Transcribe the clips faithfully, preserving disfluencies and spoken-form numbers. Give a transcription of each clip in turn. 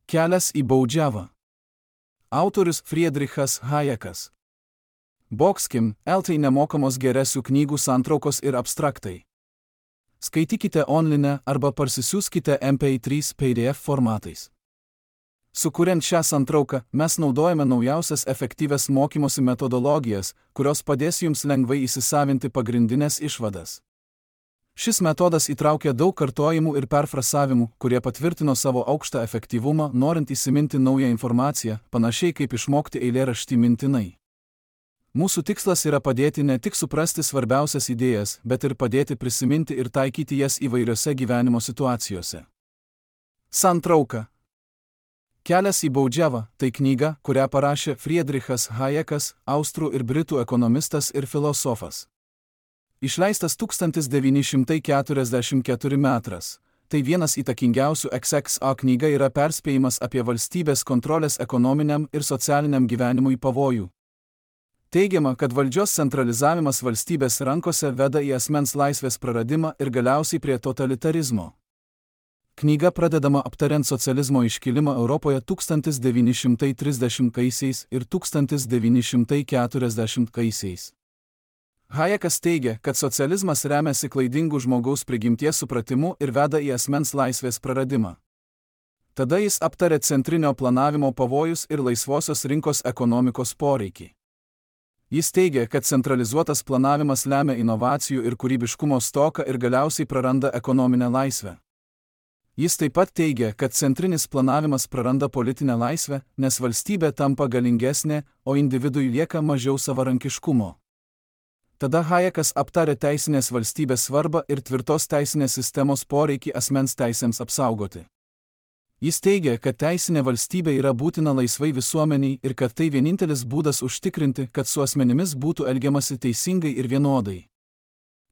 Kelias į baudžiavą. Autorius Friedrichas Hayekas. Boxkim, eltai nemokamos geresių knygų santraukos ir abstraktai. Skaitykite online arba parsisiųskite M P trys P D F formatais. Sukuriant šią santrauką, mes naudojame naujausias efektyvias mokymosi metodologijas, kurios padės jums lengvai įsisavinti pagrindinės išvadas. Šis metodas įtraukia daug kartojimų ir perfrasavimų, kurie patvirtino savo aukštą efektyvumą, norint įsiminti naują informaciją, panašiai kaip išmokti eilėraštį mintinai. Mūsų tikslas yra padėti ne tik suprasti svarbiausias idėjas, bet ir padėti prisiminti ir taikyti jas įvairiose gyvenimo situacijose. Santrauka. Kelias į baudžiavą – tai knyga, kurią parašė Friedrichas Hayekas, austrų ir britų ekonomistas ir filosofas. Išleistas tūkstantis devyni šimtai keturiasdešimt ketvirtais metais. Tai vienas įtakingiausių X X A knyga yra perspėjimas apie valstybės kontrolės ekonominiam ir socialiniam gyvenimui pavojų. Teigiama, kad valdžios centralizavimas valstybės rankose veda į asmens laisvės praradimą ir galiausiai prie totalitarizmo. Knyga pradedama aptariant socializmo iškilimą Europoje tūkstantis devyni šimtai trisdešimtaisiais ir tūkstantis devyni šimtai keturiasdešimtaisiais. Hayekas teigia, kad socializmas remiasi klaidingų žmogaus prigimties supratimu ir veda į asmens laisvės praradimą. Tada jis aptarė centrinio planavimo pavojus ir laisvosios rinkos ekonomikos poreikį. Jis teigia, kad centralizuotas planavimas lemia inovacijų ir kūrybiškumo stoką ir galiausiai praranda ekonominę laisvę. Jis taip pat teigia, kad centrinis planavimas praranda politinę laisvę, nes valstybė tampa galingesnė, o individui lieka mažiau savarankiškumo. Tada Hayekas aptarė teisinės valstybės svarbą ir tvirtos teisinės sistemos poreikį asmens teisėms apsaugoti. Jis teigia, kad teisinė valstybė yra būtina laisvai visuomeniai ir kad tai vienintelis būdas užtikrinti, kad su asmenimis būtų elgiamasi teisingai ir vienodai.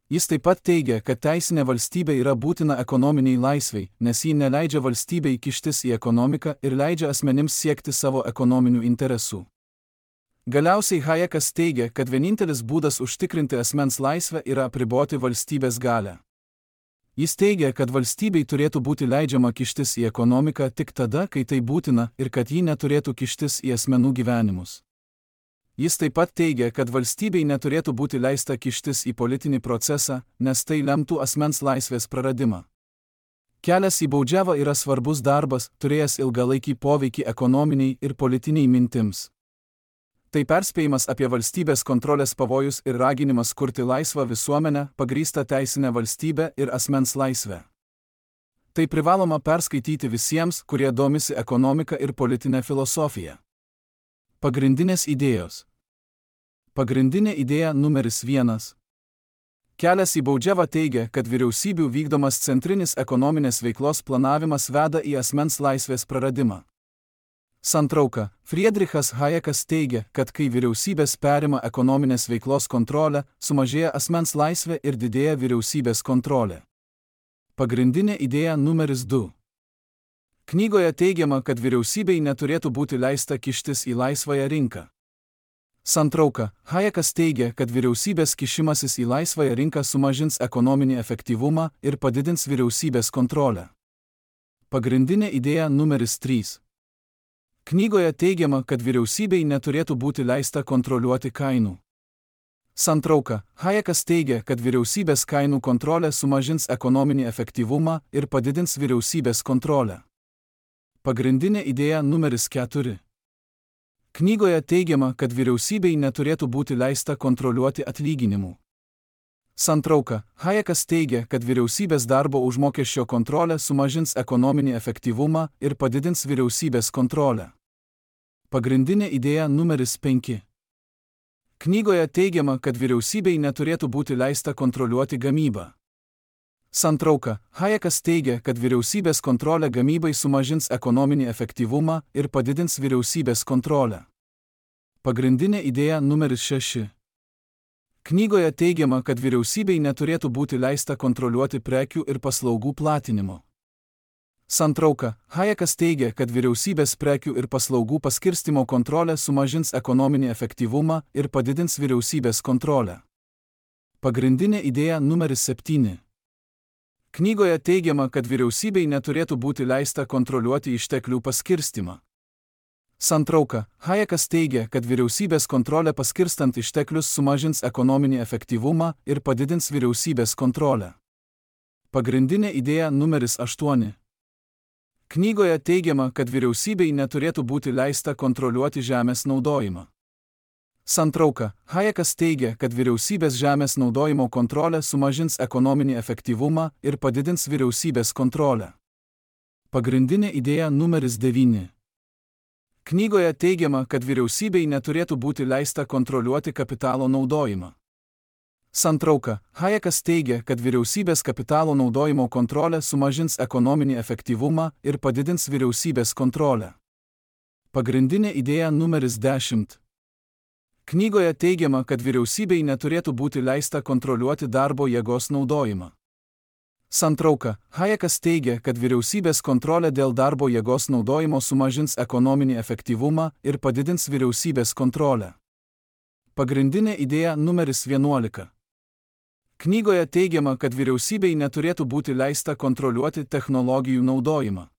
Jis taip pat teigia, kad teisinė valstybė yra būtina ekonominiai laisvai, nes ji neleidžia valstybei kištis į ekonomiką ir leidžia asmenims siekti savo ekonominių interesų. Galiausiai Hayekas teigia, kad vienintelis būdas užtikrinti asmens laisvę yra apriboti valstybės galią. Jis teigia, kad valstybei turėtų būti leidžiama kištis į ekonomiką tik tada, kai tai būtina, ir kad ji neturėtų kištis į asmenų gyvenimus. Jis taip pat teigia, kad valstybei neturėtų būti leista kištis į politinį procesą, nes tai lemtų asmens laisvės praradimą. Kelias į baudžiavą yra svarbus darbas, turėjęs ilgalaikį poveikį ekonominiai ir politiniai mintims. Tai perspėjimas apie valstybės kontrolės pavojus ir raginimas kurti laisvą visuomenę, pagrįstą teisinę valstybę ir asmens laisvę. Tai privaloma perskaityti visiems, kurie domisi ekonomika ir politinė filosofija. Pagrindinės idėjos. Pagrindinė idėja numeris vienas. Kelias į baudžiavą teigia, kad vyriausybių vykdomas centrinis ekonominės veiklos planavimas veda į asmens laisvės praradimą. Santrauka. Friedrichas Hayekas teigia, kad kai vyriausybės perima ekonominės veiklos kontrolę, sumažėja asmens laisvė ir didėja vyriausybės kontrolė. Pagrindinė idėja numeris du. Knygoje teigiama, kad vyriausybei neturėtų būti leista kištis į laisvąją rinką. Santrauka. Hayekas teigia, kad vyriausybės kišimasis į laisvąją rinką sumažins ekonominį efektyvumą ir padidins vyriausybės kontrolę. Pagrindinė idėja numeris trys. Knygoje teigiama, kad vyriausybei neturėtų būti leista kontroliuoti kainų. Santrauka. Hayekas teigia, kad vyriausybės kainų kontrolė sumažins ekonominį efektyvumą ir padidins vyriausybės kontrolę. Pagrindinė idėja numeris keturi. Knygoje teigiama, kad vyriausybei neturėtų būti leista kontroliuoti atlyginimų. Santrauka. Hayekas teigia, kad vyriausybės darbo užmokesčio kontrolė sumažins ekonominį efektyvumą ir padidins vyriausybės kontrolę. Pagrindinė idėja numeris penki. Knygoje teigiama, kad vyriausybei neturėtų būti leista kontroliuoti gamybą. Santrauka. Hayekas teigia, kad vyriausybės kontrolė gamybai sumažins ekonominį efektyvumą ir padidins vyriausybės kontrolę. Pagrindinė idėja numeris šeši. Knygoje teigiama, kad vyriausybei neturėtų būti leista kontroliuoti prekių ir paslaugų platinimo. Santrauka. Hayekas teigia, kad vyriausybės prekių ir paslaugų paskirstimo kontrolė sumažins ekonominį efektyvumą ir padidins vyriausybės kontrolę. Pagrindinė idėja numeris septyni. Knygoje teigiama, kad vyriausybei neturėtų būti leista kontroliuoti išteklių paskirstimą. Santrauka. Hayekas teigia, kad vyriausybės kontrolė paskirstant išteklius sumažins ekonominį efektyvumą ir padidins vyriausybės kontrolę. Pagrindinė idėja numeris aštuoni. Knygoje teigiama, kad vyriausybei neturėtų būti leista kontroliuoti žemės naudojimą. Santrauka. Hayekas teigia, kad vyriausybės žemės naudojimo kontrolė sumažins ekonominį efektyvumą ir padidins vyriausybės kontrolę. Pagrindinė idėja numeris devyni. Knygoje teigiama, kad vyriausybei neturėtų būti leista kontroliuoti kapitalo naudojimą. Santrauka. Hayekas teigia, kad vyriausybės kapitalo naudojimo kontrolė sumažins ekonominį efektyvumą ir padidins vyriausybės kontrolę. Pagrindinė idėja numeris dešimt. Knygoje teigiama, kad vyriausybei neturėtų būti leista kontroliuoti darbo jėgos naudojimą. Santrauka. Hayekas teigia, kad vyriausybės kontrolė dėl darbo jėgos naudojimo sumažins ekonominį efektyvumą ir padidins vyriausybės kontrolę. Pagrindinė idėja numeris vienuolika. Knygoje teigiama, kad vyriausybei neturėtų būti leista kontroliuoti technologijų naudojimą.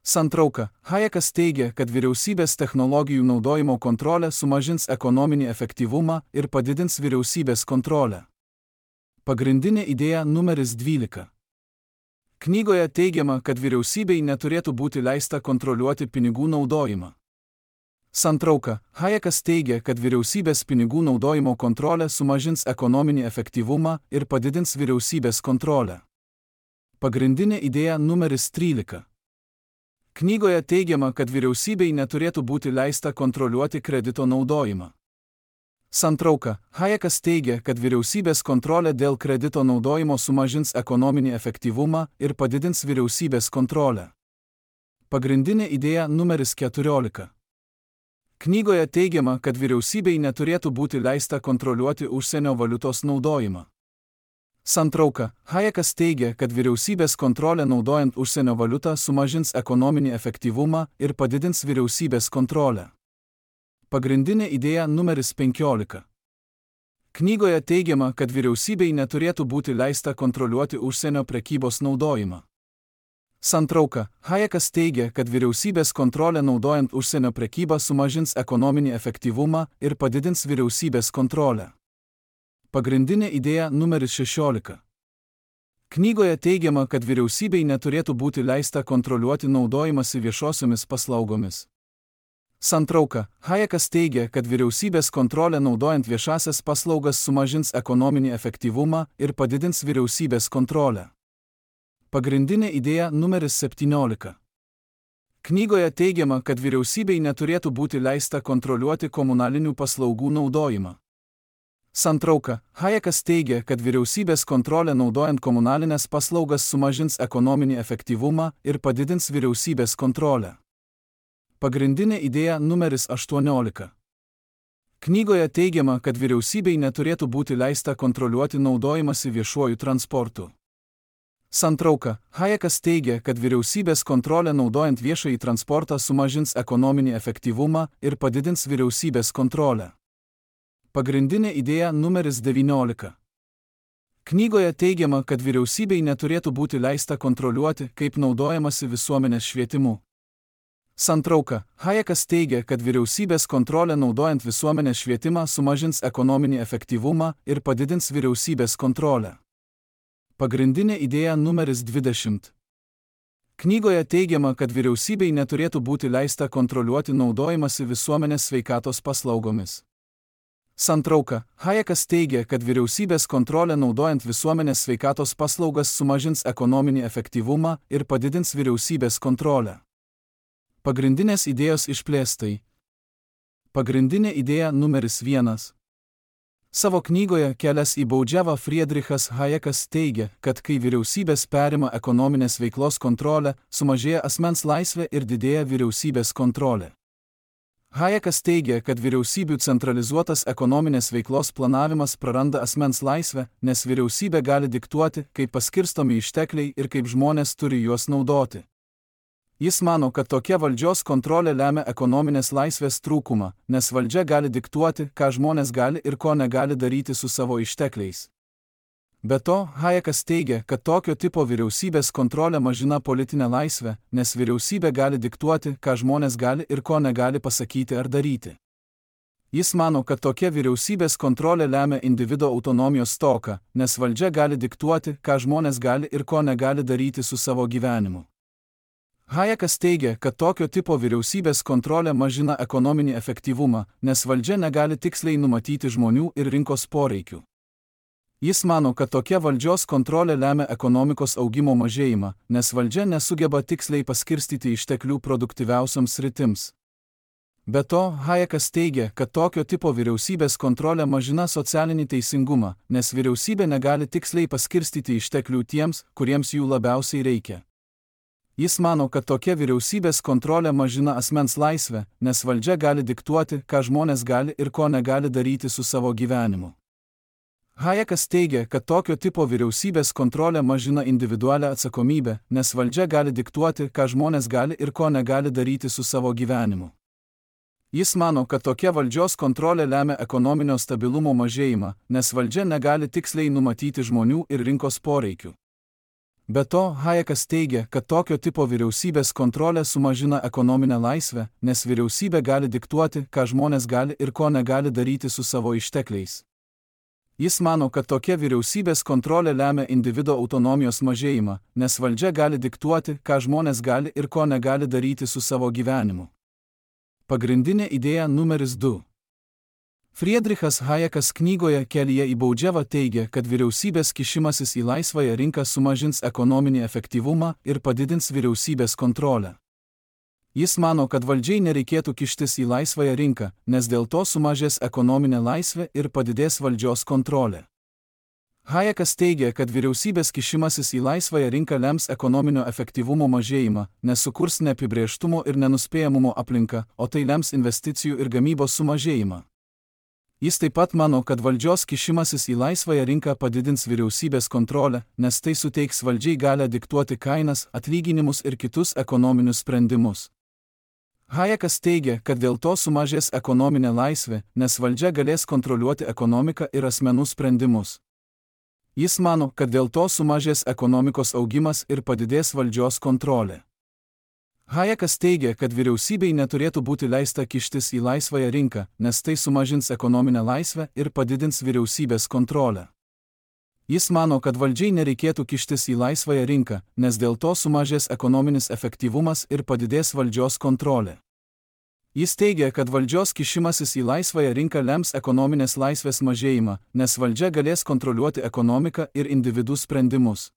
Santrauka. Hayekas teigia, kad vyriausybės technologijų naudojimo kontrolė sumažins ekonominį efektyvumą ir padidins vyriausybės kontrolę. Pagrindinė idėja numeris dvylika. Knygoje teigiama, kad vyriausybei neturėtų būti leista kontroliuoti pinigų naudojimą. Santrauka. Hayekas teigia, kad vyriausybės pinigų naudojimo kontrolė sumažins ekonominį efektyvumą ir padidins vyriausybės kontrolę. Pagrindinė idėja numeris trylika. Knygoje teigiama, kad vyriausybei neturėtų būti leista kontroliuoti kredito naudojimą. Santrauka. Hayekas teigia, kad vyriausybės kontrolė dėl kredito naudojimo sumažins ekonominį efektyvumą ir padidins vyriausybės kontrolę. Pagrindinė idėja numeris keturiolika. Knygoje teigiama, kad vyriausybei neturėtų būti leista kontroliuoti užsienio valiutos naudojimą. Santrauka. Hayekas teigia, kad vyriausybės kontrolė naudojant užsienio valiutą sumažins ekonominį efektyvumą ir padidins vyriausybės kontrolę. Pagrindinė idėja numeris penkiolika. Knygoje teigiama, kad vyriausybei neturėtų būti leista kontroliuoti užsienio prekybos naudojimą. Santrauka. Hayekas teigia, kad vyriausybės kontrolė naudojant užsienio prekybą sumažins ekonominį efektyvumą ir padidins vyriausybės kontrolę. Pagrindinė idėja numeris šešiolika. Knygoje teigiama, kad vyriausybei neturėtų būti leista kontroliuoti naudojimąsi viešosiomis paslaugomis. Santrauka. Hayekas teigia, kad vyriausybės kontrolė naudojant viešasias paslaugas sumažins ekonominį efektyvumą ir padidins vyriausybės kontrolę. Pagrindinė idėja numeris septyniolika. Knygoje teigiama, kad vyriausybei neturėtų būti leista kontroliuoti komunalinių paslaugų naudojimą. Santrauka. Hayekas teigia, kad vyriausybės kontrolė naudojant komunalinės paslaugas sumažins ekonominį efektyvumą ir padidins vyriausybės kontrolę. Pagrindinė idėja numeris aštuoniolika. Knygoje teigiama, kad vyriausybei neturėtų būti leista kontroliuoti naudojimąsi viešuoju transportu. Santrauka. Hayekas teigia, kad vyriausybės kontrolė naudojant viešąjį transportą sumažins ekonominį efektyvumą ir padidins vyriausybės kontrolę. Pagrindinė idėja numeris devyniolika. Knygoje teigiama, kad vyriausybei neturėtų būti leista kontroliuoti, kaip naudojamasi visuomenės švietimu. Santrauka. Hayekas teigia, kad vyriausybės kontrolė naudojant visuomenės švietimą sumažins ekonominį efektyvumą ir padidins vyriausybės kontrolę. Pagrindinė idėja numeris dvidešimt. Knygoje teigiama, kad vyriausybei neturėtų būti leista kontroliuoti naudojimąsi visuomenės sveikatos paslaugomis. Santrauka. Hayekas teigia, kad vyriausybės kontrolė naudojant visuomenės sveikatos paslaugas sumažins ekonominį efektyvumą ir padidins vyriausybės kontrolę. Pagrindinės idėjos išplėstai. Pagrindinė idėja numeris vienas. Savo knygoje Kelias į baudžiavą Friedrichas Hayekas teigia, kad kai vyriausybės perima ekonominės veiklos kontrolę, sumažėja asmens laisvė ir didėja vyriausybės kontrolė. Hayekas teigia, kad vyriausybių centralizuotas ekonominės veiklos planavimas praranda asmens laisvę, nes vyriausybė gali diktuoti, kaip paskirstomi ištekliai ir kaip žmonės turi juos naudoti. Jis mano, kad tokia valdžios kontrolė lemia ekonominės laisvės trūkumą, nes valdžia gali diktuoti, ką žmonės gali ir ko negali daryti su savo ištekliais. Be to, Hayekas teigia, kad tokio tipo vyriausybės kontrolė mažina politinę laisvę, nes vyriausybė gali diktuoti, ką žmonės gali ir ko negali pasakyti ar daryti. Jis mano, kad tokia vyriausybės kontrolė lemia individo autonomijos stoką, nes valdžia gali diktuoti, ką žmonės gali ir ko negali daryti su savo gyvenimu. Hayekas teigia, kad tokio tipo vyriausybės kontrolė mažina ekonominį efektyvumą, nes valdžia negali tiksliai numatyti žmonių ir rinkos poreikių. Jis mano, kad tokia valdžios kontrolė lemia ekonomikos augimo mažėjimą, nes valdžia nesugeba tiksliai paskirstyti išteklių produktyviausioms sritims. Be to, Hayekas teigia, kad tokio tipo vyriausybės kontrolė mažina socialinį teisingumą, nes vyriausybė negali tiksliai paskirstyti išteklių tiems, kuriems jų labiausiai reikia. Jis mano, kad tokia vyriausybės kontrolė mažina asmens laisvę, nes valdžia gali diktuoti, ką žmonės gali ir ko negali daryti su savo gyvenimu. Hayekas teigia, kad tokio tipo vyriausybės kontrolė mažina individualią atsakomybę, nes valdžia gali diktuoti, ką žmonės gali ir ko negali daryti su savo gyvenimu. Jis mano, kad tokia valdžios kontrolė lemia ekonominio stabilumo mažėjimą, nes valdžia negali tiksliai numatyti žmonių ir rinkos poreikių. Be to, Hayekas teigia, kad tokio tipo vyriausybės kontrolė sumažina ekonominę laisvę, nes vyriausybė gali diktuoti, ką žmonės gali ir ko negali daryti su savo ištekliais. Jis mano, kad tokia vyriausybės kontrolė lemia individo autonomijos mažėjimą, nes valdžia gali diktuoti, ką žmonės gali ir ko negali daryti su savo gyvenimu. Pagrindinė idėja numeris du. Friedrichas Hayekas knygoje Kelyje į baudžiavą teigia, kad vyriausybės kišimasis į laisvąją rinką sumažins ekonominį efektyvumą ir padidins vyriausybės kontrolę. Jis mano, kad valdžiai nereikėtų kištis į laisvąją rinką, nes dėl to sumažės ekonominė laisvė ir padidės valdžios kontrolė. Hayekas teigia, kad vyriausybės kišimasis į laisvąją rinką lems ekonominio efektyvumo mažėjimą, nes sukurs neapibrėžtumo ir nenuspėjamumo aplinką, o tai lems investicijų ir gamybos sumažėjimą. Jis taip pat mano, kad valdžios kišimasis į laisvąją rinką padidins vyriausybės kontrolę, nes tai suteiks valdžiai galią diktuoti kainas, atlyginimus ir kitus ekonominius sprendimus. Hayekas teigia, kad dėl to sumažės ekonominė laisvė, nes valdžia galės kontroliuoti ekonomiką ir asmenų sprendimus. Jis mano, kad dėl to sumažės ekonomikos augimas ir padidės valdžios kontrolė. Hayekas teigia, kad vyriausybei neturėtų būti leista kištis į laisvąją rinką, nes tai sumažins ekonominę laisvę ir padidins vyriausybės kontrolę. Jis mano, kad valdžiai nereikėtų kištis į laisvąją rinką, nes dėl to sumažės ekonominis efektyvumas ir padidės valdžios kontrolė. Jis teigia, kad valdžios kišimasis į laisvąją rinką lems ekonominės laisvės mažėjimą, nes valdžia galės kontroliuoti ekonomiką ir individų sprendimus.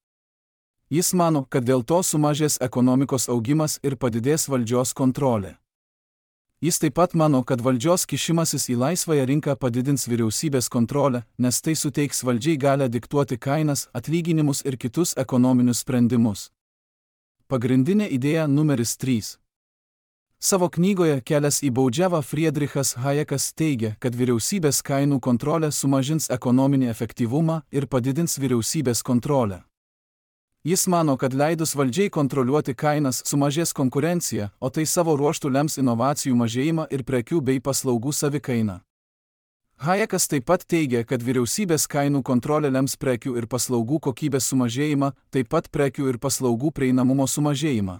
Jis mano, kad dėl to sumažės ekonomikos augimas ir padidės valdžios kontrolė. Jis taip pat mano, kad valdžios kišimasis į laisvąją rinką padidins vyriausybės kontrolę, nes tai suteiks valdžiai galią diktuoti kainas, atlyginimus ir kitus ekonominius sprendimus. Pagrindinė idėja numeris trys. Savo knygoje Kelias į baudžiavą Friedrichas Hayekas teigia, kad vyriausybės kainų kontrolė sumažins ekonominį efektyvumą ir padidins vyriausybės kontrolę. Jis mano, kad leidus valdžiai kontroliuoti kainas sumažės konkurencija, o tai savo ruožtu lems inovacijų mažėjimą ir prekių bei paslaugų savikainą. Hayekas taip pat teigia, kad vyriausybės kainų kontrolė lems prekių ir paslaugų kokybės sumažėjimą, taip pat prekių ir paslaugų prieinamumo sumažėjimą.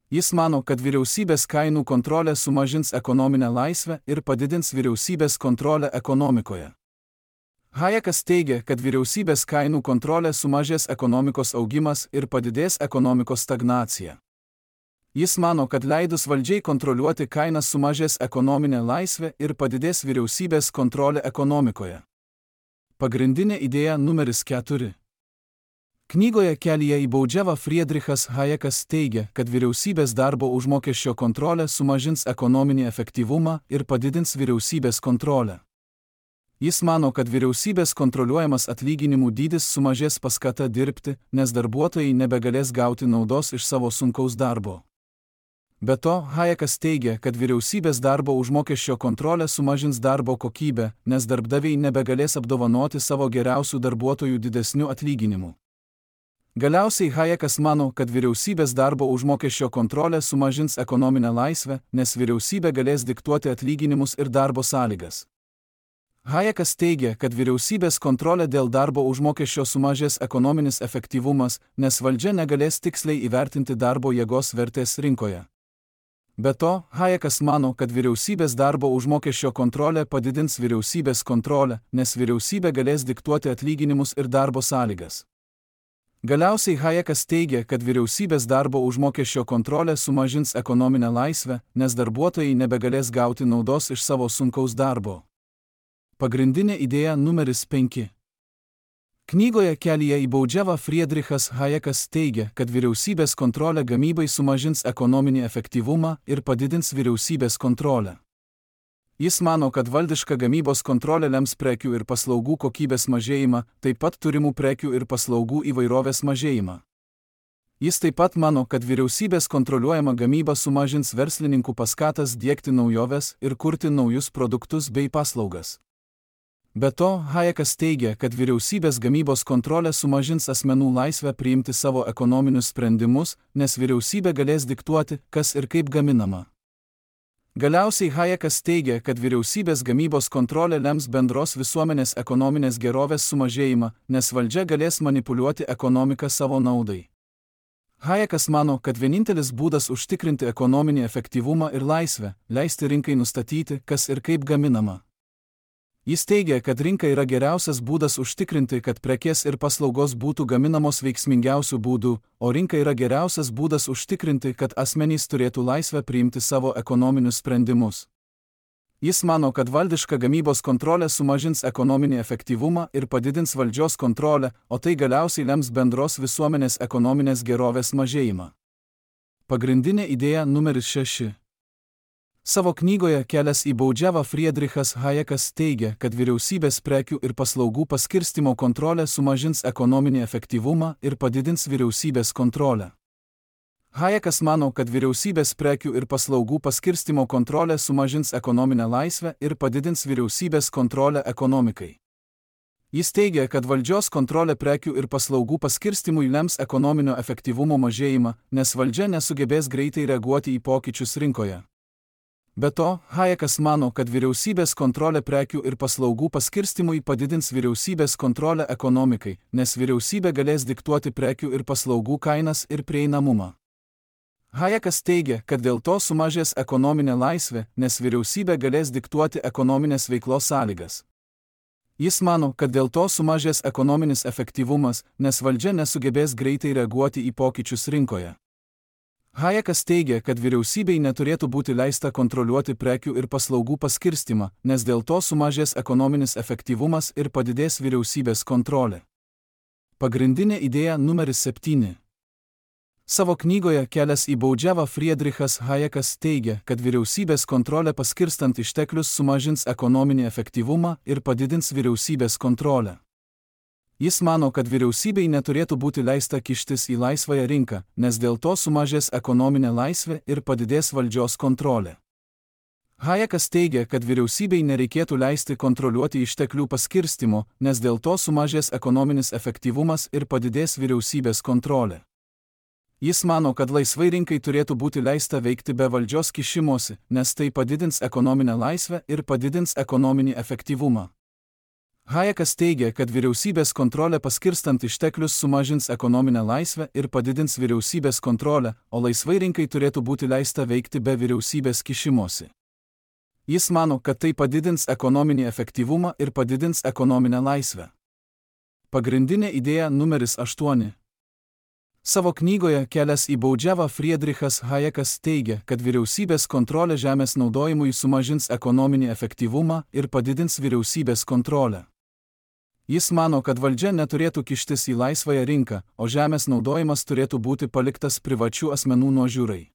Jis mano, kad vyriausybės kainų kontrolė sumažins ekonominę laisvę ir padidins vyriausybės kontrolę ekonomikoje. Hayekas teigia, kad vyriausybės kainų kontrolė sumažės ekonomikos augimas ir padidės ekonomikos stagnacija. Jis mano, kad leidus valdžiai kontroliuoti kainas sumažės ekonominė laisvė ir padidės vyriausybės kontrolė ekonomikoje. Pagrindinė idėja numeris keturi. Knygoje Kelyje į baudžiavą Friedrichas Hayekas teigia, kad vyriausybės darbo užmokesčio kontrolė sumažins ekonominį efektyvumą ir padidins vyriausybės kontrolę. Jis mano, kad vyriausybės kontroliuojamas atlyginimų dydis sumažės paskata dirbti, nes darbuotojai nebegalės gauti naudos iš savo sunkaus darbo. Be to, Hayekas teigia, kad vyriausybės darbo užmokesčio kontrolė sumažins darbo kokybę, nes darbdaviai nebegalės apdovanoti savo geriausių darbuotojų didesniu atlyginimu. Galiausiai Hayekas mano, kad vyriausybės darbo užmokesčio kontrolė sumažins ekonominę laisvę, nes vyriausybė galės diktuoti atlyginimus ir darbo sąlygas. Hayekas teigia, kad vyriausybės kontrolė dėl darbo užmokesčio sumažės ekonominis efektyvumas, nes valdžia negalės tiksliai įvertinti darbo jėgos vertės rinkoje. Be to, Hayekas mano, kad vyriausybės darbo užmokesčio kontrolė padidins vyriausybės kontrolę, nes vyriausybė galės diktuoti atlyginimus ir darbo sąlygas. Galiausiai Hayekas teigia, kad vyriausybės darbo užmokesčio kontrolė sumažins ekonominę laisvę, nes darbuotojai nebegalės gauti naudos iš savo sunkaus darbo. Pagrindinė idėja numeris penki. Knygoje Kelyje į baudžiavą Friedrichas Hayekas teigia, kad vyriausybės kontrolė gamybai sumažins ekonominį efektyvumą ir padidins vyriausybės kontrolę. Jis mano, kad valdiška gamybos kontrolė lems prekių ir paslaugų kokybės mažėjimą, taip pat turimų prekių ir paslaugų įvairovės mažėjimą. Jis taip pat mano, kad vyriausybės kontroliuojama gamyba sumažins verslininkų paskatas diegti naujoves ir kurti naujus produktus bei paslaugas. Be to, Hayekas teigia, kad vyriausybės gamybos kontrolė sumažins asmenų laisvę priimti savo ekonominius sprendimus, nes vyriausybė galės diktuoti, kas ir kaip gaminama. Galiausiai Hayekas teigia, kad vyriausybės gamybos kontrolė lems bendros visuomenės ekonominės gerovės sumažėjimą, nes valdžia galės manipuliuoti ekonomiką savo naudai. Hayekas mano, kad vienintelis būdas užtikrinti ekonominį efektyvumą ir laisvę – leisti rinkai nustatyti, kas ir kaip gaminama. Jis teigia, kad rinka yra geriausias būdas užtikrinti, kad prekės ir paslaugos būtų gaminamos veiksmingiausių būdų, o rinka yra geriausias būdas užtikrinti, kad asmenys turėtų laisvę priimti savo ekonominius sprendimus. Jis mano, kad valdiška gamybos kontrolė sumažins ekonominį efektyvumą ir padidins valdžios kontrolę, o tai galiausiai lems bendros visuomenės ekonominės gerovės mažėjimą. Pagrindinė idėja numeris šeši. Savo knygoje Kelias į baudžiavą Friedrichas Hayekas teigia, kad vyriausybės prekių ir paslaugų paskirstymo kontrolė sumažins ekonominį efektyvumą ir padidins vyriausybės kontrolę. Hayekas mano, kad vyriausybės prekių ir paslaugų paskirstymo kontrolė sumažins ekonominę laisvę ir padidins vyriausybės kontrolę ekonomikai. Jis teigia, kad valdžios kontrolė prekių ir paslaugų paskirstymui lems ekonominio efektyvumo mažėjimą, nes valdžia nesugebės greitai reaguoti į pokyčius rinkoje. Be to, Hayekas mano, kad vyriausybės kontrolė prekių ir paslaugų paskirstimui padidins vyriausybės kontrolę ekonomikai, nes vyriausybė galės diktuoti prekių ir paslaugų kainas ir prieinamumą. Hayekas teigia, kad dėl to sumažės ekonominė laisvė, nes vyriausybė galės diktuoti ekonominės veiklos sąlygas. Jis mano, kad dėl to sumažės ekonominis efektyvumas, nes valdžia nesugebės greitai reaguoti į pokyčius rinkoje. Hayekas teigia, kad vyriausybei neturėtų būti leista kontroliuoti prekių ir paslaugų paskirstimą, nes dėl to sumažės ekonominis efektyvumas ir padidės vyriausybės kontrolė. Pagrindinė idėja numeris septyni. Savo knygoje Kelias į baudžiavą Friedrichas Hayekas teigia, kad vyriausybės kontrolė paskirstant išteklius sumažins ekonominį efektyvumą ir padidins vyriausybės kontrolę. Jis mano, kad vyriausybei neturėtų būti leista kištis į laisvąją rinką, nes dėl to sumažės ekonominė laisvė ir padidės valdžios kontrolė. Hayekas teigia, kad vyriausybei nereikėtų leisti kontroliuoti išteklių paskirstimo, nes dėl to sumažės ekonominis efektyvumas ir padidės vyriausybės kontrolė. Jis mano, kad laisvai rinkai turėtų būti leista veikti be valdžios kišimosi, nes tai padidins ekonominę laisvę ir padidins ekonominį efektyvumą. Hayekas teigia, kad vyriausybės kontrolė paskirstant išteklius sumažins ekonominę laisvę ir padidins vyriausybės kontrolę, o laisvai rinkai turėtų būti leista veikti be vyriausybės kišimosi. Jis mano, kad tai padidins ekonominį efektyvumą ir padidins ekonominę laisvę. Pagrindinė idėja numeris aštuoni. Savo knygoje Kelias į baudžiavą Friedrichas Hayekas teigia, kad vyriausybės kontrolė žemės naudojimui sumažins ekonominį efektyvumą ir padidins vyriausybės kontrolę. Jis mano, kad valdžia neturėtų kištis į laisvąją rinką, o žemės naudojimas turėtų būti paliktas privačių asmenų nuožiūrai.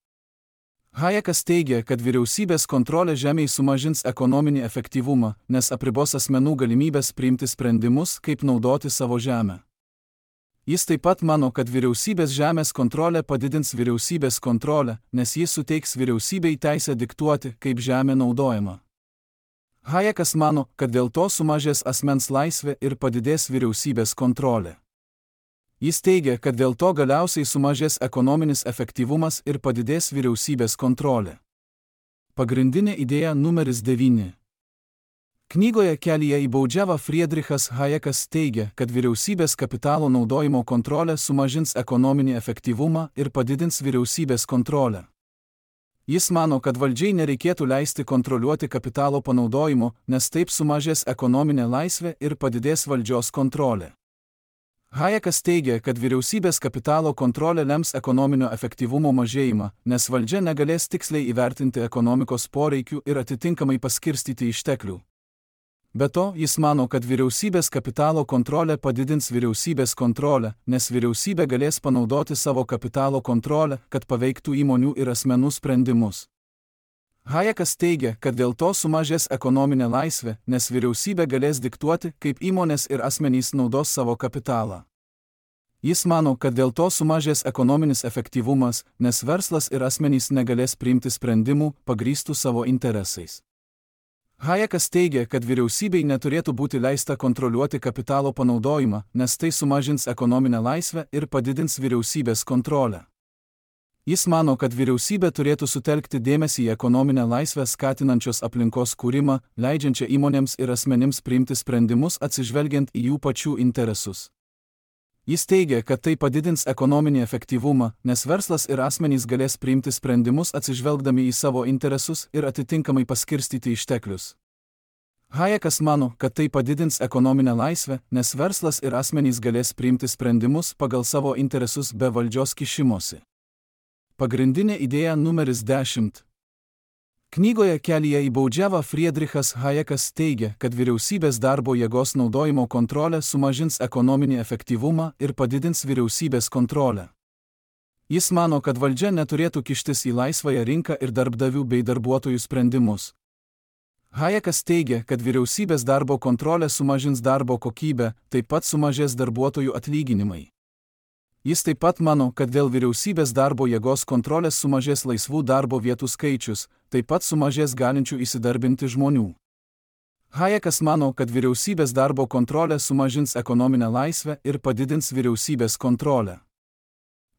Hayekas teigia, kad vyriausybės kontrolė žemei sumažins ekonominį efektyvumą, nes apribos asmenų galimybės priimti sprendimus, kaip naudoti savo žemę. Jis taip pat mano, kad vyriausybės žemės kontrolė padidins vyriausybės kontrolę, nes jis suteiks vyriausybei teisę diktuoti, kaip žemė naudojama. Hayekas mano, kad dėl to sumažės asmens laisvė ir padidės vyriausybės kontrolė. Jis teigia, kad dėl to galiausiai sumažės ekonominis efektyvumas ir padidės vyriausybės kontrolė. Pagrindinė idėja numeris devyni. Knygoje Kelyje į baudžiavą Friedrichas Hayekas teigia, kad vyriausybės kapitalo naudojimo kontrolė sumažins ekonominį efektyvumą ir padidins vyriausybės kontrolę. Jis mano, kad valdžiai nereikėtų leisti kontroliuoti kapitalo panaudojimo, nes taip sumažės ekonominė laisvė ir padidės valdžios kontrolė. Hayekas teigia, kad vyriausybės kapitalo kontrolė lems ekonominio efektyvumo mažėjimą, nes valdžia negalės tiksliai įvertinti ekonomikos poreikių ir atitinkamai paskirstyti išteklių. Be to, jis mano, kad vyriausybės kapitalo kontrolė padidins vyriausybės kontrolę, nes vyriausybė galės panaudoti savo kapitalo kontrolę, kad paveiktų įmonių ir asmenų sprendimus. Hayekas teigia, kad dėl to sumažės ekonominė laisvė, nes vyriausybė galės diktuoti, kaip įmonės ir asmenys naudos savo kapitalą. Jis mano, kad dėl to sumažės ekonominis efektyvumas, nes verslas ir asmenys negalės priimti sprendimų, pagrįstų savo interesais. Hayekas teigia, kad vyriausybei neturėtų būti leista kontroliuoti kapitalo panaudojimą, nes tai sumažins ekonominę laisvę ir padidins vyriausybės kontrolę. Jis mano, kad vyriausybė turėtų sutelkti dėmesį į ekonominę laisvę skatinančios aplinkos kūrimą, leidžiančią įmonėms ir asmenims priimti sprendimus atsižvelgiant į jų pačių interesus. Jis teigia, kad tai padidins ekonominį efektyvumą, nes verslas ir asmenys galės priimti sprendimus atsižvelgdami į savo interesus ir atitinkamai paskirstyti išteklius. Hayekas mano, kad tai padidins ekonominę laisvę, nes verslas ir asmenys galės priimti sprendimus pagal savo interesus be valdžios kišimosi. Pagrindinė idėja numeris dešimt. Knygoje Kelyje į baudžiavą Friedrichas Hayekas teigia, kad vyriausybės darbo jėgos naudojimo kontrolė sumažins ekonominį efektyvumą ir padidins vyriausybės kontrolę. Jis mano, kad valdžia neturėtų kištis į laisvąją rinką ir darbdavių bei darbuotojų sprendimus. Hayekas teigia, kad vyriausybės darbo kontrolė sumažins darbo kokybę, taip pat sumažės darbuotojų atlyginimai. Jis taip pat mano, kad dėl vyriausybės darbo jėgos kontrolės sumažės laisvų darbo vietų skaičius, taip pat sumažės galinčių įsidarbinti žmonių. Hayekas mano, kad vyriausybės darbo kontrolė sumažins ekonominę laisvę ir padidins vyriausybės kontrolę.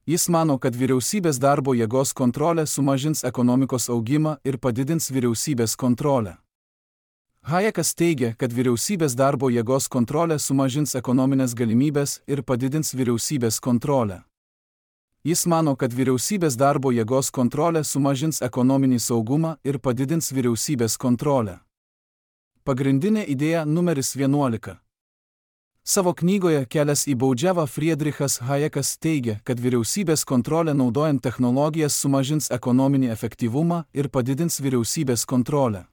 Jis mano, kad vyriausybės darbo jėgos kontrolė sumažins ekonomikos augimą ir padidins vyriausybės kontrolę. Hayekas teigia, kad vyriausybės darbo jėgos kontrolė sumažins ekonominės galimybės ir padidins vyriausybės kontrolę. Jis mano, kad vyriausybės darbo jėgos kontrolė sumažins ekonominį saugumą ir padidins vyriausybės kontrolę. Pagrindinė idėja numeris vienuolika. Savo knygoje Kelias į baudžiavą Friedrichas Hayekas teigia, kad vyriausybės kontrolė naudojant technologijas sumažins ekonominį efektyvumą ir padidins vyriausybės kontrolę.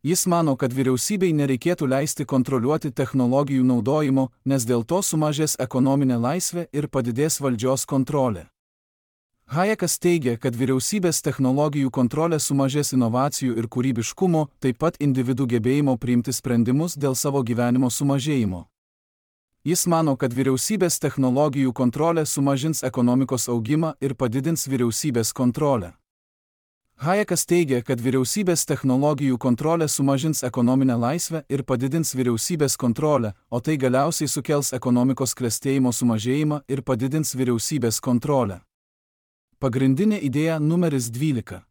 Jis mano, kad vyriausybei nereikėtų leisti kontroliuoti technologijų naudojimo, nes dėl to sumažės ekonominė laisvė ir padidės valdžios kontrolė. Hayekas teigia, kad vyriausybės technologijų kontrolė sumažės inovacijų ir kūrybiškumo, taip pat individų gebėjimo priimti sprendimus dėl savo gyvenimo sumažėjimo. Jis mano, kad vyriausybės technologijų kontrolė sumažins ekonomikos augimą ir padidins vyriausybės kontrolę. Hayekas teigia, kad vyriausybės technologijų kontrolė sumažins ekonominę laisvę ir padidins vyriausybės kontrolę, o tai galiausiai sukels ekonomikos klestėjimo sumažėjimą ir padidins vyriausybės kontrolę. Pagrindinė idėja numeris dvylika.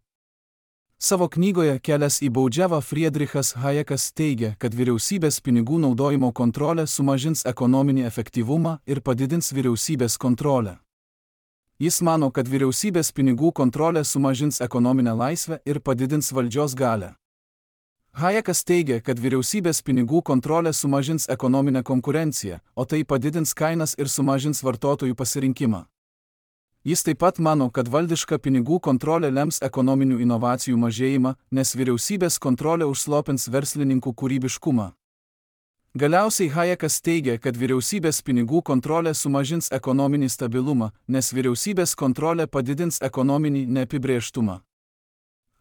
Savo knygoje Kelias į baudžiavą Friedrichas Hayekas teigia, kad vyriausybės pinigų naudojimo kontrolė sumažins ekonominį efektyvumą ir padidins vyriausybės kontrolę. Jis mano, kad vyriausybės pinigų kontrolė sumažins ekonominę laisvę ir padidins valdžios galią. Hayekas teigia, kad vyriausybės pinigų kontrolė sumažins ekonominę konkurenciją, o tai padidins kainas ir sumažins vartotojų pasirinkimą. Jis taip pat mano, kad valdiška pinigų kontrolė lems ekonominių inovacijų mažėjimą, nes vyriausybės kontrolė užslopins verslininkų kūrybiškumą. Galiausiai Hayekas teigia, kad vyriausybės pinigų kontrolė sumažins ekonominį stabilumą, nes vyriausybės kontrolė padidins ekonominį neapibrėžtumą.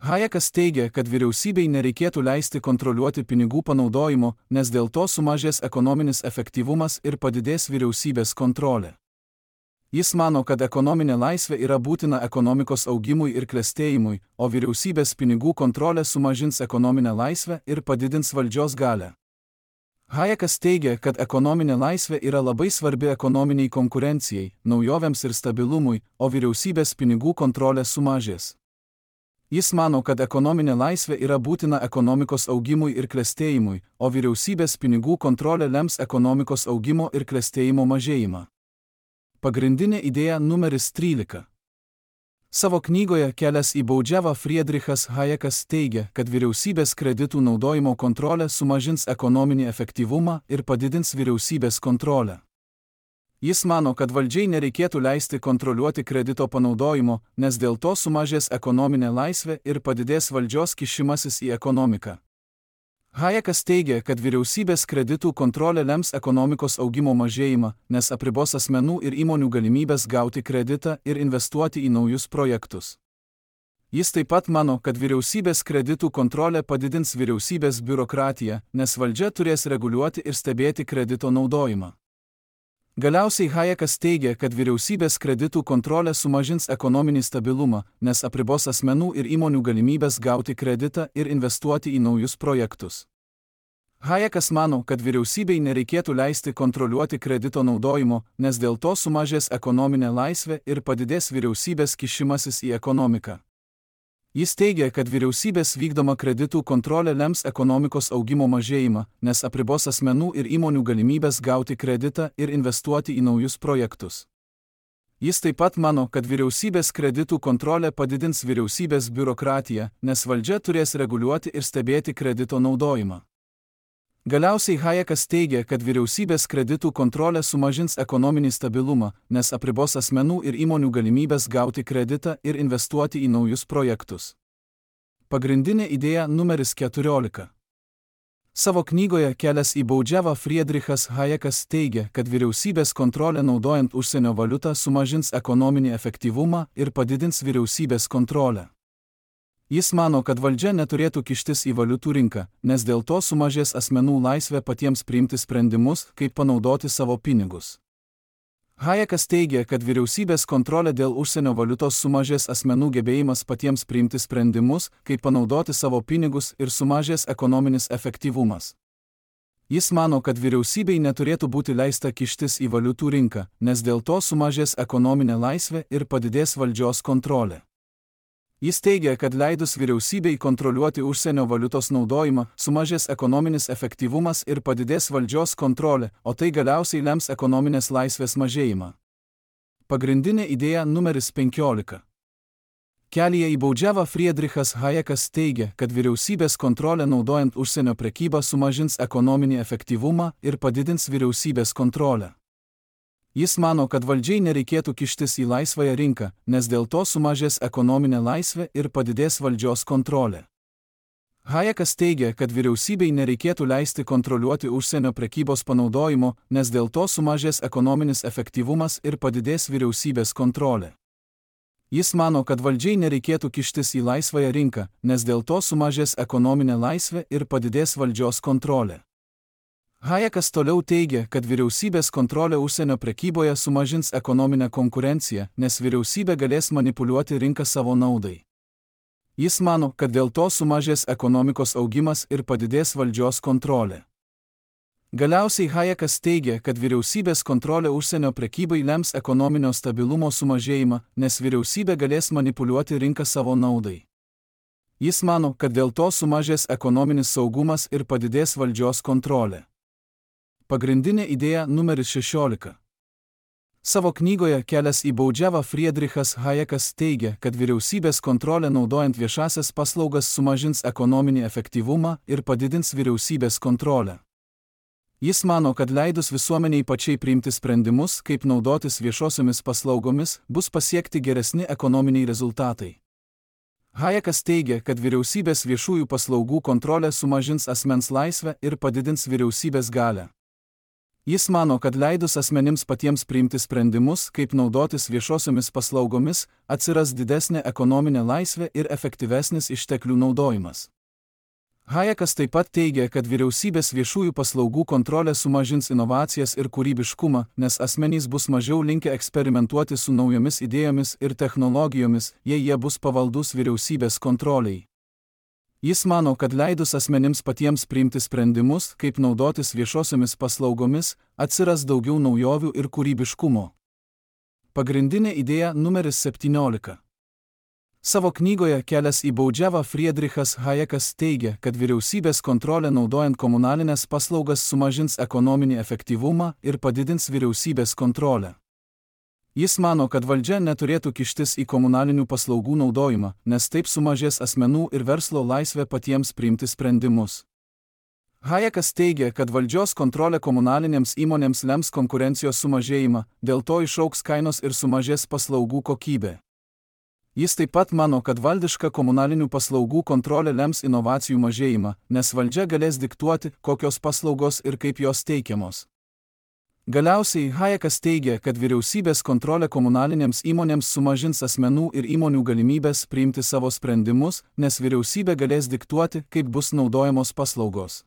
Hayekas teigia, kad vyriausybei nereikėtų leisti kontroliuoti pinigų panaudojimo, nes dėl to sumažės ekonominis efektyvumas ir padidės vyriausybės kontrolė. Jis mano, kad ekonominė laisvė yra būtina ekonomikos augimui ir klestėjimui, o vyriausybės pinigų kontrolė sumažins ekonominę laisvę ir padidins valdžios galią. Hayekas teigia, kad ekonominė laisvė yra labai svarbi ekonominiai konkurencijai, naujovėms ir stabilumui, o vyriausybės pinigų kontrolė sumažės. Jis mano, kad ekonominė laisvė yra būtina ekonomikos augimui ir klestėjimui, o vyriausybės pinigų kontrolė lems ekonomikos augimo ir klestėjimo mažėjimą. Pagrindinė idėja numeris trylika. Savo knygoje Kelias į baudžiavą Friedrichas Hayekas teigia, kad vyriausybės kreditų naudojimo kontrolė sumažins ekonominį efektyvumą ir padidins vyriausybės kontrolę. Jis mano, kad valdžiai nereikėtų leisti kontroliuoti kredito panaudojimo, nes dėl to sumažės ekonominė laisvė ir padidės valdžios kišimasis į ekonomiką. Hayekas teigia, kad vyriausybės kreditų kontrolė lems ekonomikos augimo mažėjimą, nes apribos asmenų ir įmonių galimybės gauti kreditą ir investuoti į naujus projektus. Jis taip pat mano, kad vyriausybės kreditų kontrolė padidins vyriausybės biurokratiją, nes valdžia turės reguliuoti ir stebėti kredito naudojimą. Galiausiai Hayekas teigia, kad vyriausybės kreditų kontrolė sumažins ekonominį stabilumą, nes apribos asmenų ir įmonių galimybės gauti kreditą ir investuoti į naujus projektus. Hayekas mano, kad vyriausybei nereikėtų leisti kontroliuoti kredito naudojimo, nes dėl to sumažės ekonominė laisvė ir padidės vyriausybės kišimasis į ekonomiką. Jis teigia, kad vyriausybės vykdoma kreditų kontrolė lems ekonomikos augimo mažėjimą, nes apribos asmenų ir įmonių galimybės gauti kreditą ir investuoti į naujus projektus. Jis taip pat mano, kad vyriausybės kreditų kontrolė padidins vyriausybės biurokratiją, nes valdžia turės reguliuoti ir stebėti kredito naudojimą. Galiausiai Hayekas teigia, kad vyriausybės kreditų kontrolė sumažins ekonominį stabilumą, nes apribos asmenų ir įmonių galimybės gauti kreditą ir investuoti į naujus projektus. Pagrindinė idėja numeris keturiolika. Savo knygoje Kelias į baudžiavą Friedrichas Hayekas teigia, kad vyriausybės kontrolė naudojant užsienio valiutą sumažins ekonominį efektyvumą ir padidins vyriausybės kontrolę. Jis mano, kad valdžia neturėtų kištis į valiutų rinką, nes dėl to sumažės asmenų laisvė patiems priimti sprendimus, kaip panaudoti savo pinigus. Hayekas teigia, kad vyriausybės kontrolė dėl užsienio valiutos sumažės asmenų gebėjimas patiems priimti sprendimus, kaip panaudoti savo pinigus ir sumažės ekonominis efektyvumas. Jis mano, kad vyriausybei neturėtų būti leista kištis į valiutų rinką, nes dėl to sumažės ekonominė laisvė ir padidės valdžios kontrolė. Jis teigia, kad leidus vyriausybei kontroliuoti užsienio valiutos naudojimą, sumažės ekonominis efektyvumas ir padidės valdžios kontrolė, o tai galiausiai lems ekonominės laisvės mažėjimą. Pagrindinė idėja numeris penkiolika. Kelyje į baudžiavą Friedrichas Hayekas teigia, kad vyriausybės kontrolė naudojant užsienio prekybą sumažins ekonominį efektyvumą ir padidins vyriausybės kontrolę. Jis mano, kad valdžiai nereikėtų kištis į laisvąją rinką, nes dėl to sumažės ekonominė laisvė ir padidės valdžios kontrolė. Hayekas teigia, kad vyriausybei nereikėtų leisti kontroliuoti užsienio prekybos panaudojimo, nes dėl to sumažės ekonominis efektyvumas ir padidės vyriausybės kontrolė. Jis mano, kad valdžiai nereikėtų kištis į laisvąją rinką, nes dėl to sumažės ekonominė laisvė ir padidės valdžios kontrolė. Hayekas toliau teigia, kad vyriausybės kontrolė užsienio prekyboje sumažins ekonominę konkurenciją, nes vyriausybė galės manipuliuoti rinką savo naudai. Jis mano, kad dėl to sumažės ekonomikos augimas ir padidės valdžios kontrolė. Galiausiai Hayekas teigia, kad vyriausybės kontrolė užsienio prekybai lems ekonominio stabilumo sumažėjimą, nes vyriausybė galės manipuliuoti rinką savo naudai. Jis mano, kad dėl to sumažės ekonominis saugumas ir padidės valdžios kontrolė. Pagrindinė idėja numeris šešiolika. Savo knygoje Kelias į baudžiavą Friedrichas Hayekas teigia, kad vyriausybės kontrolė naudojant viešasias paslaugas sumažins ekonominį efektyvumą ir padidins vyriausybės kontrolę. Jis mano, kad leidus visuomeniai pačiai priimti sprendimus, kaip naudotis viešosiomis paslaugomis, bus pasiekti geresni ekonominiai rezultatai. Hayekas teigia, kad vyriausybės viešųjų paslaugų kontrolė sumažins asmens laisvę ir padidins vyriausybės galią. Jis mano, kad leidus asmenims patiems priimti sprendimus, kaip naudotis viešosiomis paslaugomis, atsiras didesnė ekonominė laisvė ir efektyvesnis išteklių naudojimas. Hayekas taip pat teigia, kad vyriausybės viešųjų paslaugų kontrolė sumažins inovacijas ir kūrybiškumą, nes asmenys bus mažiau linkę eksperimentuoti su naujomis idėjomis ir technologijomis, jei jie bus pavaldus vyriausybės kontroliai. Jis mano, kad leidus asmenims patiems priimti sprendimus, kaip naudotis viešosiomis paslaugomis, atsiras daugiau naujovių ir kūrybiškumo. Pagrindinė idėja numeris septyniolika. Savo knygoje Kelias į baudžiavą Friedrichas Hayekas teigia, kad vyriausybės kontrolė naudojant komunalinės paslaugas sumažins ekonominį efektyvumą ir padidins vyriausybės kontrolę. Jis mano, kad valdžia neturėtų kištis į komunalinių paslaugų naudojimą, nes taip sumažės asmenų ir verslo laisvė patiems priimti sprendimus. Hayekas teigia, kad valdžios kontrolė komunalinėms įmonėms lems konkurencijos sumažėjimą, dėl to išaugs kainos ir sumažės paslaugų kokybė. Jis taip pat mano, kad valdiška komunalinių paslaugų kontrolė lems inovacijų mažėjimą, nes valdžia galės diktuoti, kokios paslaugos ir kaip jos teikiamos. Galiausiai Hayekas teigia, kad vyriausybės kontrolė komunalinėms įmonėms sumažins asmenų ir įmonių galimybės priimti savo sprendimus, nes vyriausybė galės diktuoti, kaip bus naudojamos paslaugos.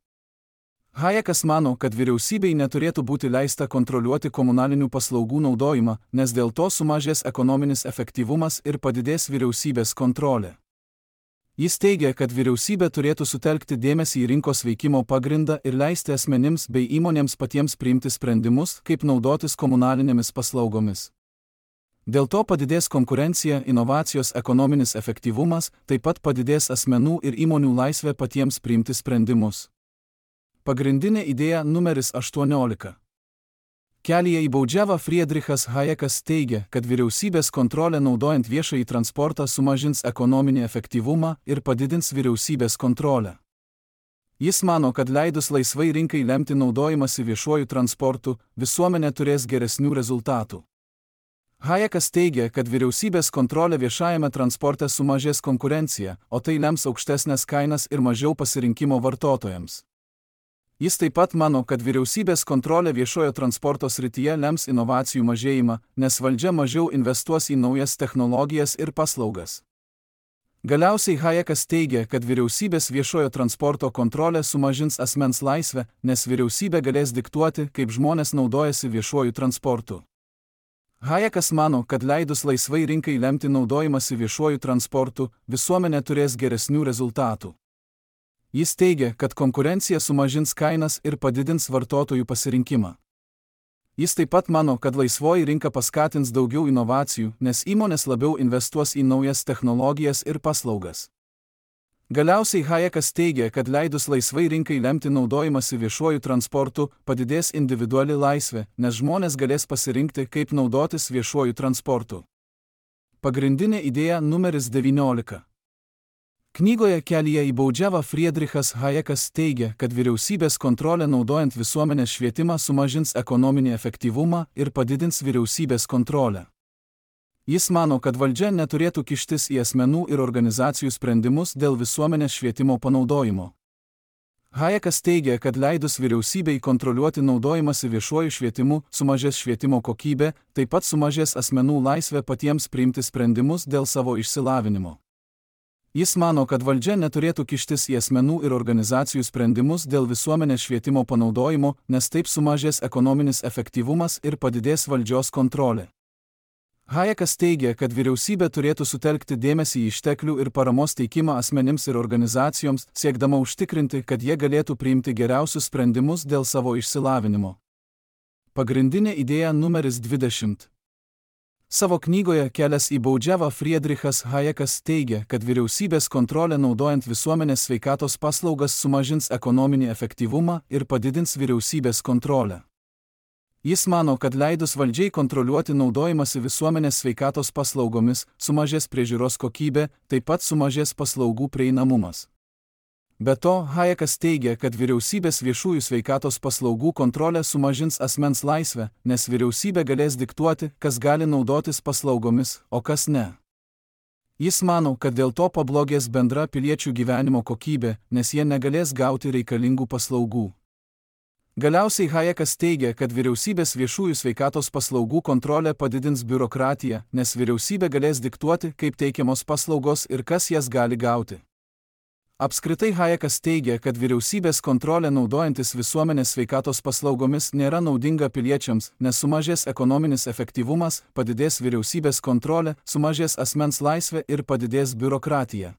Hayekas mano, kad vyriausybei neturėtų būti leista kontroliuoti komunalinių paslaugų naudojimą, nes dėl to sumažės ekonominis efektyvumas ir padidės vyriausybės kontrolė. Jis teigia, kad vyriausybė turėtų sutelkti dėmesį į rinkos veikimo pagrindą ir leisti asmenims bei įmonėms patiems priimti sprendimus, kaip naudotis komunalinėmis paslaugomis. Dėl to padidės konkurencija, inovacijos, ekonominis efektyvumas, taip pat padidės asmenų ir įmonių laisvė patiems priimti sprendimus. Pagrindinė idėja numeris aštuoniolika. Kelyje į baudžiavą Friedrichas Hayekas teigia, kad vyriausybės kontrolė naudojant viešąjį transportą sumažins ekonominį efektyvumą ir padidins vyriausybės kontrolę. Jis mano, kad leidus laisvai rinkai lemti naudojimąsi viešuoju transportu, visuomenė turės geresnių rezultatų. Hayekas teigia, kad vyriausybės kontrolė viešajame transporte sumažės konkurenciją, o tai lems aukštesnės kainas ir mažiau pasirinkimo vartotojams. Jis taip pat mano, kad vyriausybės kontrolė viešojo transporto srityje lems inovacijų mažėjimą, nes valdžia mažiau investuos į naujas technologijas ir paslaugas. Galiausiai Hayekas teigia, kad vyriausybės viešojo transporto kontrolė sumažins asmens laisvę, nes vyriausybė galės diktuoti, kaip žmonės naudojasi viešuoju transportu. Hayekas mano, kad leidus laisvai rinkai lemti naudojimąsi viešuoju transportu, visuomenė turės geresnių rezultatų. Jis teigia, kad konkurencija sumažins kainas ir padidins vartotojų pasirinkimą. Jis taip pat mano, kad laisvoji rinka paskatins daugiau inovacijų, nes įmonės labiau investuos į naujas technologijas ir paslaugas. Galiausiai Hayekas teigia, kad leidus laisvai rinkai lemti naudojimąsi viešuoju transportu, padidės individuali laisvė, nes žmonės galės pasirinkti, kaip naudotis viešuoju transportu. Pagrindinė idėja numeris devyniolika. Knygoje Kelyje į baudžiavą Friedrichas Hayekas teigia, kad vyriausybės kontrolė naudojant visuomenės švietimą sumažins ekonominį efektyvumą ir padidins vyriausybės kontrolę. Jis mano, kad valdžia neturėtų kištis į asmenų ir organizacijų sprendimus dėl visuomenės švietimo panaudojimo. Hayekas teigia, kad leidus vyriausybei kontroliuoti naudojimąsi viešuoju švietimu, sumažės švietimo kokybė, taip pat sumažės asmenų laisvė patiems priimti sprendimus dėl savo išsilavinimo. Jis mano, kad valdžia neturėtų kištis į asmenų ir organizacijų sprendimus dėl visuomenės švietimo panaudojimo, nes taip sumažės ekonominis efektyvumas ir padidės valdžios kontrolė. Hayekas teigia, kad vyriausybė turėtų sutelkti dėmesį į išteklių ir paramos teikimą asmenims ir organizacijoms, siekdama užtikrinti, kad jie galėtų priimti geriausius sprendimus dėl savo išsilavinimo. Pagrindinė idėja numeris dvidešimt. Savo knygoje Kelias į baudžiavą Friedrichas Hayekas teigia, kad vyriausybės kontrolė naudojant visuomenės sveikatos paslaugas sumažins ekonominį efektyvumą ir padidins vyriausybės kontrolę. Jis mano, kad leidus valdžiai kontroliuoti naudojimąsi visuomenės sveikatos paslaugomis, sumažės priežiūros kokybė, taip pat sumažės paslaugų prieinamumas. Be to, Hayekas teigia, kad vyriausybės viešųjų sveikatos paslaugų kontrolė sumažins asmens laisvę, nes vyriausybė galės diktuoti, kas gali naudotis paslaugomis, o kas ne. Jis mano, kad dėl to pablogės bendra piliečių gyvenimo kokybė, nes jie negalės gauti reikalingų paslaugų. Galiausiai Hayekas teigia, kad vyriausybės viešųjų sveikatos paslaugų kontrolė padidins biurokratiją, nes vyriausybė galės diktuoti, kaip teikiamos paslaugos ir kas jas gali gauti. Apskritai Hayekas teigia, kad vyriausybės kontrolė naudojantis visuomenės sveikatos paslaugomis nėra naudinga piliečiams, nes sumažės ekonominis efektyvumas, padidės vyriausybės kontrolė, sumažės asmens laisvė ir padidės biurokratija.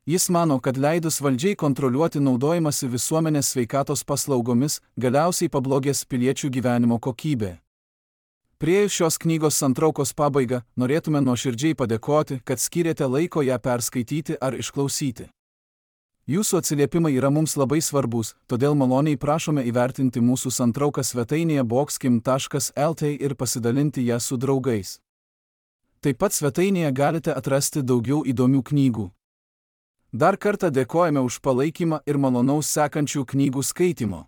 Jis mano, kad leidus valdžiai kontroliuoti naudojimąsi visuomenės sveikatos paslaugomis, galiausiai pablogės piliečių gyvenimo kokybė. Priėjus šios knygos santraukos pabaigą, norėtume nuoširdžiai padėkoti, kad skyrėte laiko ją perskaityti ar išklausyti. Jūsų atsiliepimai yra mums labai svarbus, todėl maloniai prašome įvertinti mūsų santrauką svetainėje boxkim taškas el t ir pasidalinti ją su draugais. Taip pat svetainėje galite atrasti daugiau įdomių knygų. Dar kartą dėkojame už palaikymą ir malonaus sekančių knygų skaitimo.